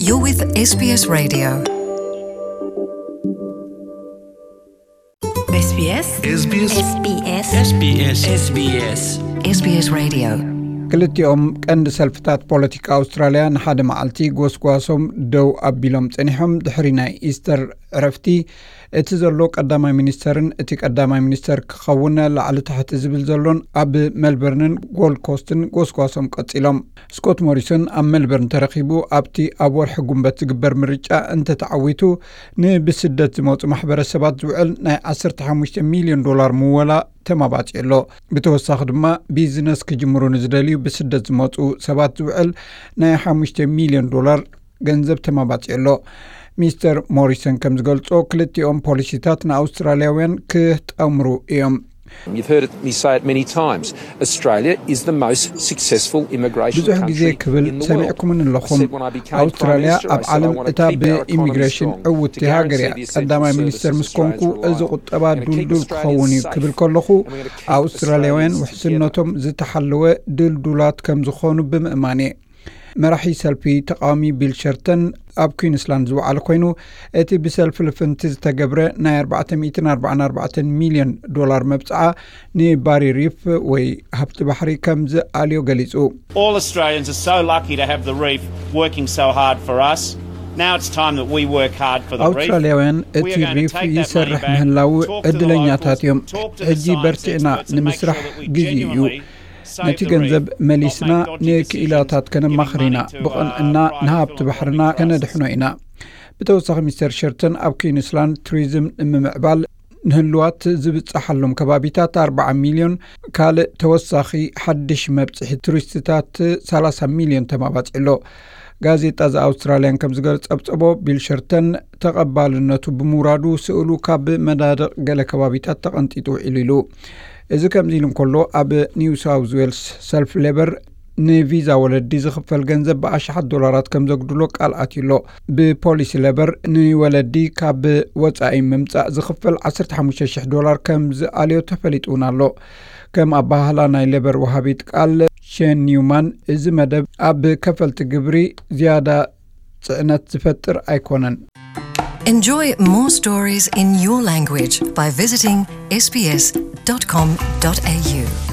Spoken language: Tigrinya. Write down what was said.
You're with SBS Radio. SBS. SBS. SBS. SBS. SBS. SBS. SBS Radio. ክልቲኦም ቀንዲ ሰልፍታት ፖለቲካ ኣውስትራልያ ንሓደ መዓልቲ ጎስጓሶም ደው ኣቢሎም ጸኒሖም። ድሕሪ ናይ ኢስተር ዕረፍቲ፣ እቲ ዘሎ ቀዳማይ ሚኒስተርን እቲ ቀዳማይ ሚኒስተር ክኸውን ላዕሊ ታሕቲ ዝብል ዘሎን ኣብ ሜልበርንን ጎልድ ኮስትን ጎስጓሶም ቀጺሎም። ስኮት ሞሪሰን ኣብ ሜልበርን ተረኺቡ፣ ኣብቲ ኣብ ወርሒ ጉንበት ዝግበር ምርጫ እንተተዓዊቱ፣ ንብስደት ዝመጹ ማሕበረሰባት ዝውዕል ናይ ዓሰርተ ሓሙሽተ ሚልዮን ዶላር ምወላ ተማባጺ ኣሎ። ብተወሳኺ ድማ፣ ቢዝነስ ክጅምሩ ንዝደልዩ ብስደት ዝመጹ ሰባት ዝውዕል ናይ ሓሙሽተ ሚልዮን ዶላር ገንዘብ ተማባጺ ኣሎ። ሚስተር ሞሪሰን ከም ዝገልጾ፣ ክልቲኦም ፖሊሲታት ንኣውስትራልያውያን ክጠምሩ እዮም። You've heard me say it many times. Australia is the most successful immigration ብዙሕ ግዜ country ክብል in the world. ሰሚዕኩምን ኣለኹም። I said when I became Prime ኣውስትራልያ Minister, ኣብ I said, "I ዓለም want to እታ keep our economy ብኢሚግሬሽን strong ዕውቲ to ሃገር እያ። guarantee the essential ቀዳማይ ሚኒስተር services ምስ ኮንኩ፣ Australians እዚ rely on." ቁጠባ And it's getting ድልዱል stronger ክኸውን እዩ each ክብል year. ከለኹ፣ And we're gonna keep this አውስትራልያውያን percentage ውሕስነቶም together. ዝተሓለወ ድልዱላት ከም ዝኾኑ ብምእማን እየ። መራሒ ሰልፊ ተቃዋሚ ቢል ሸርተን ኣብ ኩዊንስላንድ ዝወዓለ ኮይኑ፣ እቲ ብሰልፊ ልፍንቲ ዝተገብረ ናይ ኣርባዕተ ሚእትን ኣርባዓን ኣርባዕተን ሚልዮን ዶላር መብጽዓ ንባሪ ሪፍ ወይ ሃብቲ ባሕሪ ከም ዝኣልዮ ገሊጹ። All Australians are so lucky to have the reef working so hard for us. Now it's time that we work hard for the reef. ኣውስትራልያውያን እቲ We are gonna ሪፍ take that ይሰርሕ money back, ምህላው talk to the ዕድለኛታት locals, እዮም። Talk to the ሕጂ science በርቲዕና experts and make ንምስራሕ sure that we ግዜ እዩ። Genuinely ነቲ ገንዘብ መሊስና ንክኢላታት ከነማኽር ኢና። ብቕንዕና ንሃብቲ ባሕርና ከነድሕኖ ኢና። ብተወሳኺ፣ ሚስተር ሸርተን ኣብ ኩዊንስላንድ ቱሪዝም ንምምዕባል ንህልዋት ዝብጻሓሎም ከባቢታት ኣርባዓ ሚልዮን፣ ካልእ ተወሳኺ ሓድሽ መብጽሒ ቱሪስትታት ሰላሳ ሚልዮን ተማባጺ ኣሎ። ጋዜጣ ዘ ኣውስትራልያን ከም ዝገል ጸብጸቦ፣ ቢል ሸርተን ተቐባልነቱ ብምውራዱ፣ ስእሉ ካብ መናድቕ ገለ ከባቢታት ተቐንጢጡ ውዒሉ ኢሉ። እዚ ከምዚ ኢሉ እንከሎ፣ ኣብ ኒው ሳውዝ ዌልስ ሰልፍ ሌበር ንቪዛ ወለዲ ዝኽፈል ገንዘብ ብኣሽሓት ዶላራት ከም ዘጉድሎ ቃል ኣትዩ ኣሎ። ብፖሊሲ ሌበር ንወለዲ ካብ ወጻኢ ምምጻእ ዝኽፈል ዓሰርተ ሓሙሽተ ሽሕ ዶላር ከም ዝኣልዮ ተፈሊጡ እውን ኣሎ። ከም ኣባህላ ናይ ሌበር ወሃቢት ቃል ሼን ኒውማን፣ እዚ መደብ ኣብ ከፈልቲ ግብሪ ዝያዳ ጽዕነት ዝፈጥር ኣይኮነን። Enjoy more stories in your language by visiting S B S dot com dot A U.